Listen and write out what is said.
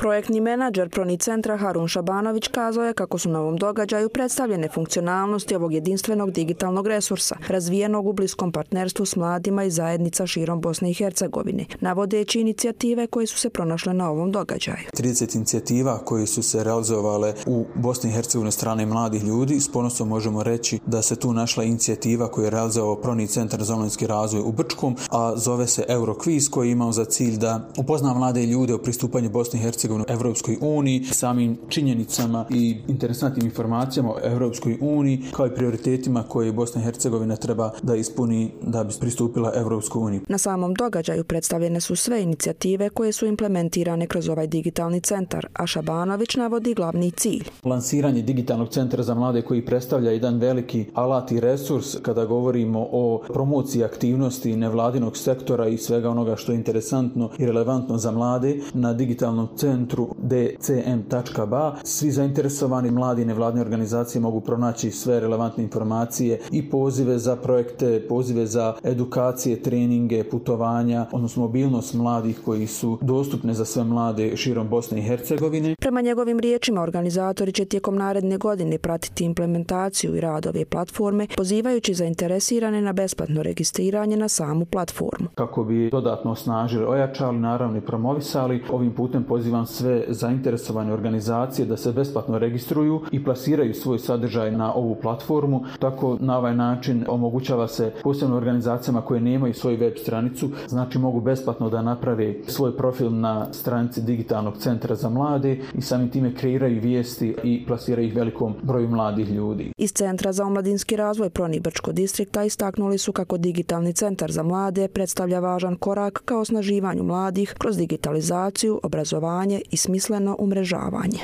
Projektni menadžer Proni centra Harun Šabanović kazao je kako su na ovom događaju predstavljene funkcionalnosti ovog jedinstvenog digitalnog resursa, razvijenog u bliskom partnerstvu s mladima i zajednica širom Bosne i Hercegovine, navodeći inicijative koje su se pronašle na ovom događaju. 30 inicijativa koje su se realizovale u Bosni i Hercegovini strane mladih ljudi. S ponosom možemo reći da se tu našla inicijativa koju je realizovao Proni centar za omladinski razvoj u Brčkom, a zove se Eurokviz, koji je imao za cilj da upozna mlade ljude o pristupanju Bosne i Hercegovine Evropskoj uniji, samim činjenicama i interesantnim informacijama o Evropskoj uniji, kao i prioritetima koje Bosna i Hercegovina treba da ispuni da bi pristupila Evropskoj uniji. Na samom događaju predstavljene su sve inicijative koje su implementirane kroz ovaj digitalni centar, a Šabanović navodi glavni cilj. Lansiranje digitalnog centra za mlade koji predstavlja jedan veliki alat i resurs kada govorimo o promociji aktivnosti nevladinog sektora i svega onoga što je interesantno i relevantno za mlade na digitalnom centru dcm.ba. Svi zainteresovani mladi nevladine organizacije mogu pronaći sve relevantne informacije i pozive za projekte, pozive za edukacije, treninge, putovanja, odnosno mobilnost mladih koji su dostupne za sve mlade širom Bosne i Hercegovine. Prema njegovim riječima, organizatori će tijekom naredne godine pratiti implementaciju i rad ove platforme, pozivajući zainteresirane na besplatno registriranje na samu platformu. Kako bi dodatno osnažili, ojačali, naravno i promovisali, ovim putem pozivam sve zainteresovane organizacije da se besplatno registruju i plasiraju svoj sadržaj na ovu platformu. Tako na ovaj način omogućava se posebno organizacijama koje nemaju svoju web stranicu, znači mogu besplatno da naprave svoj profil na stranici digitalnog centra za mlade i samim time kreiraju vijesti i plasiraju ih velikom broju mladih ljudi. Iz Centra za omladinski razvoj Proni Brčko distrikta istaknuli su kako digitalni centar za mlade predstavlja važan korak ka osnaživanju mladih kroz digitalizaciju, obrazovanje i smisleno umrežavanje.